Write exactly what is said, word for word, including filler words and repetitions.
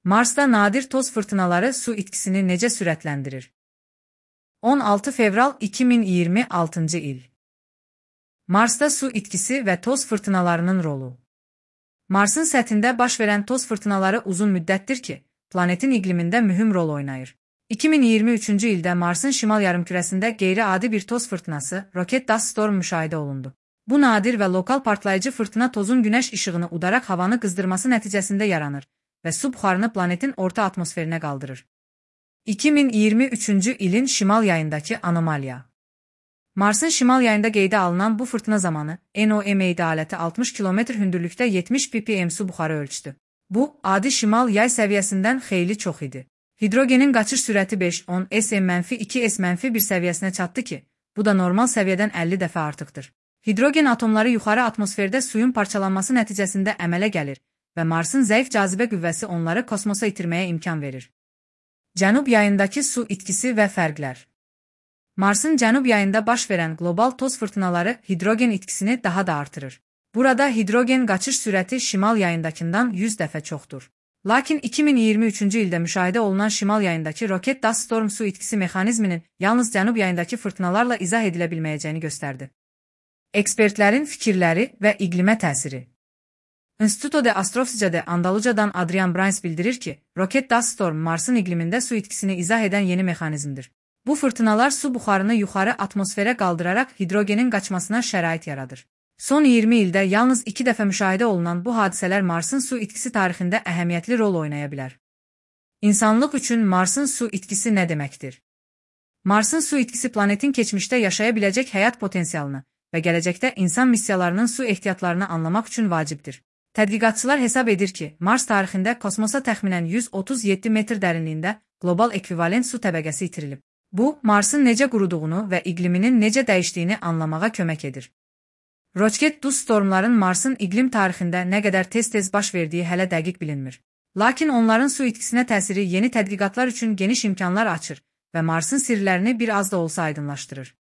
Marsda nadir toz fırtınaları su itkisini necə sürətləndirir? on altı fevral iki min iyirmi altıncı il. Marsda su itkisi və toz fırtınalarının rolu. Marsın səthində baş verən toz fırtınaları uzun müddətdir ki, planetin iqlimində mühüm rol oynayır. iki min iyirmi üçüncü ildə Marsın şimal yarımkürəsində qeyri-adi bir toz fırtınası, Rocket Dust Storm müşahidə olundu. Bu nadir və lokal partlayıcı fırtına tozun günəş işığını udaraq havanı qızdırması nəticəsində yaranır və su buxarını planetin orta atmosferinə qaldırır. iki min iyirmi üçüncü ilin şimal yayındakı anomaliya. Marsın şimal yayında qeydə alınan bu fırtına zamanı NOMAD aləti altmış kilometr hündürlükdə yetmiş ppm su buxarı ölçdü. Bu, adi şimal yay səviyyəsindən xeyli çox idi. Hidrogenin qaçış sürəti beş on S-iki S-bir səviyyəsinə çatdı ki, bu da normal səviyyədən əlli dəfə artıqdır. Hidrogen atomları yuxarı atmosferdə suyun parçalanması nəticəsində əmələ gəlir və Marsın zəif cazibə qüvvəsi onları kosmosa itirməyə imkan verir. Cənub yayındakı su itkisi və fərqlər. Marsın cənub yayında baş verən qlobal toz fırtınaları hidrogen itkisini daha da artırır. Burada hidrogen qaçış sürəti şimal yayındakından yüz dəfə çoxdur. Lakin iki min iyirmi üçüncü ildə müşahidə olunan şimal yayındakı Rocket Dust Storm su itkisi mexanizminin yalnız cənub yayındakı fırtınalarla izah edilə bilməyəcəyini göstərdi. Ekspertlərin fikirləri və iqlimə təsiri. Instituto de Astrofísica de Andaluca'dan Adrian Brains bildirir ki, Rocket Dust Storm Marsın iqlimində su itkisini izah edən yeni mexanizmdir. Bu fırtınalar su buxarını yuxarı atmosferə qaldıraraq hidrogenin qaçmasına şərait yaradır. Son iyirmi ildə yalnız iki dəfə müşahidə olunan bu hadisələr Marsın su itkisi tarixində əhəmiyyətli rol oynaya bilər. İnsanlıq üçün Marsın su itkisi nə deməkdir? Marsın su itkisi planetin keçmişdə yaşaya biləcək həyat potensialını və gələcəkdə insan missiyalarının su ehtiyatlarını anlamaq üçün vacibdir. Tədqiqatçılar hesab edir ki, Mars tarixində kosmosa təxminən yüz otuz yeddi metr dərinliyində qlobal ekvivalent su təbəqəsi itirilib. Bu, Marsın necə quruduğunu və iqliminin necə dəyişdiyini anlamağa kömək edir. Rocket Dust Stormların Marsın iqlim tarixində nə qədər tez-tez baş verdiyi hələ dəqiq bilinmir. Lakin onların su itkisinə təsiri yeni tədqiqatlar üçün geniş imkanlar açır və Marsın sirlərini bir az da olsa aydınlaşdırır.